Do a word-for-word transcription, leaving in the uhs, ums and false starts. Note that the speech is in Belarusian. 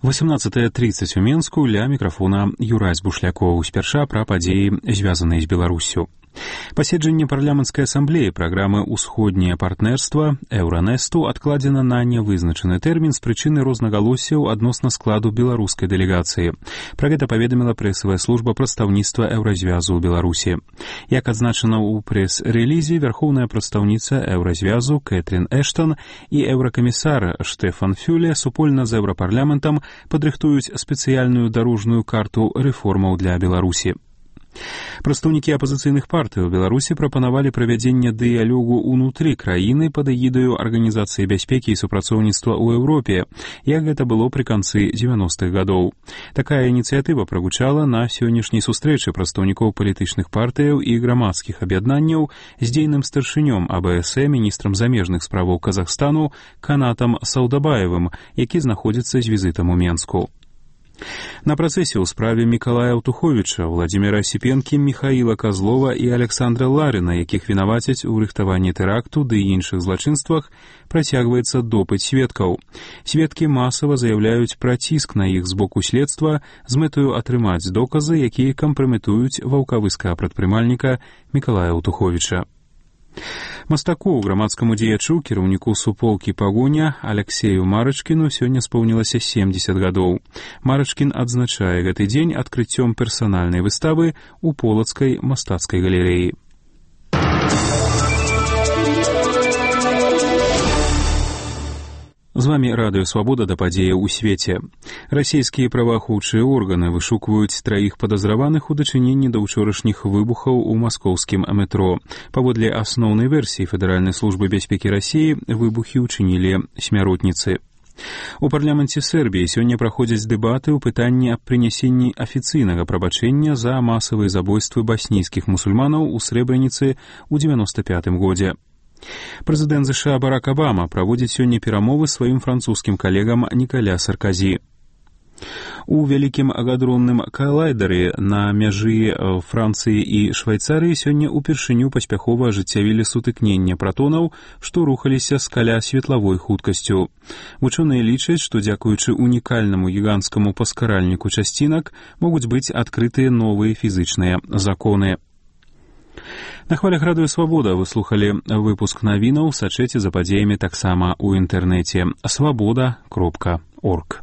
восемнадцатая тридцать у Менску, ля мікрафона Юрась Бушлякоў. Спярша пра падзеі, звязаныя з Беларуссю. Паседжанне парламенцкай асамблеі праграмы «Усходняе партнерства» Еўранесту адкладзена на нявызначаны тэрмін з прычыны рознагалоссяў адносна складу беларускай дэлегацыі. Пра гэта паведаміла прэсавая служба прадстаўніцтва Еўразвязу ў Беларусі. Як адзначана ў прэс-рэлізе, вярхоўная прадстаўніца Еўразвязу Кэтрин Эштон і еўракамісар Штефан Фюле супольна з еўрапарламентам падрыхтуюць спецыяльную дарожную карту рэформаў для Беларусі. Прадстаўнікі апазіцыйных партый у Беларусі прапанавалі правядзенне дыялогу ўнутры краіны пад эгідаю Арганізацыі бяспекі і супрацоўніцтва ў Еўропе, як гэта было пры канцы дзевяностых гадоў. Такая ініцыятыва прагучала на сённяшняй сустрэчы прадстаўнікоў палітычных партыяў і грамадскіх аб'яднанняў з дзейным старшынём А Бэ Эс Э, міністрам замежных справаў Казахстану Канатам Саўдабаевым, які знаходзіцца з візітам у Менску. На працэсе ў справе Мікалая Аўтуховіча, Владзіміра Асіпенкі, Міхаіла Казлова і Александра Ларіна, якіх вінавацяць у рыхтаванні тэракту ды іншых злачынствах, працягваецца допыт сведкаў. Сведкі масава заяўляюць пра ціск на іх з боку следства з мэтаю атрымаць доказы, якія кампраметуюць ваўкавыскага прадпрымальніка Мікалая Аўтуховіча. Мастаку, грамадскаму дзеячу, кіраўніку суполкі «Пагоня» Аляксею Марачкіну сёння споўнілася семдзесят гадоў. Марачкін адзначае гэты дзень адкрыццём персанальнай выставы ў полацкай мастацкай галерэі. З вамі радыё «Свабода» да падзеяў у свеце. Расійскія праваахоўчыя органы вышукваюць траіх падазраваных у дачыненні да ўчорашніх выбухаў у маскоўскім метро. Паводле асноўнай версіі Федэральнай службы бяспекі Расіі, выбухі ўчынілі смяротніцы. У парламенце Сербіі сёння праходзяць дэбаты ў пытанні аб прынясенні афіцыйнага прабачэння за масавыя забойствы баснійскіх мусульманаў у Срэбраніцы ў дзевяноста пятым годзе. Прэзідэнт ЗША Барак Абама праводзіць сёння перамовы з сваім французскім калегам Нікаля Сарказі. У вялікім агадронным калайдары на мяжы Францыі і Швайцарыі сёння ўпершыню паспяхова ажыццявілі сутыкненне пратонаў, што рухаліся з каля светлавой хуткасцю. Вучоныя лічаць, што дзякуючы унікальнаму гіганцкаму паскаральніку часцінак могуць быць адкрытыя новыя фізычныя законы. На хвалях радыё «Свабода» вы слухалі выпуск навінаў, сачэце за падзеямі таксама ў інтэрнэце свабода кропка орг.